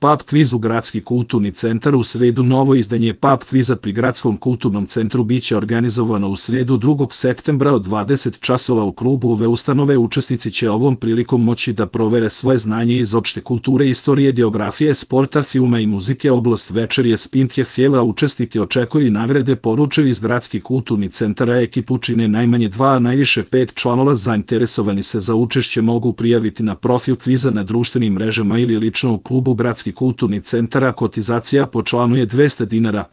pub kvizu Gradski kulturni centar u sredu. Novo izdanje pub kviza pri Gradskom kulturnom centru biće organizovano u sredu 2. septembra od 20 časova u klubu ove ustanove. Učesnici će ovom prilikom moći da provere svoje znanje iz opšte kulture, istorije, geografije, sporta, filma i muzike. Oblast večeri je Spintje Fjela. Učesnike očekuju i nagrade. Poručuju iz Gradski kulturni centara. Ekipu čine najmanje 2, a najviše 5 članova. Zainteresovani se za učešće mogu prijaviti na profil kviza na društvenim mrežama ili lično u klubu Gradski kulturni centar. Kotizacija po članu je 200 dinara.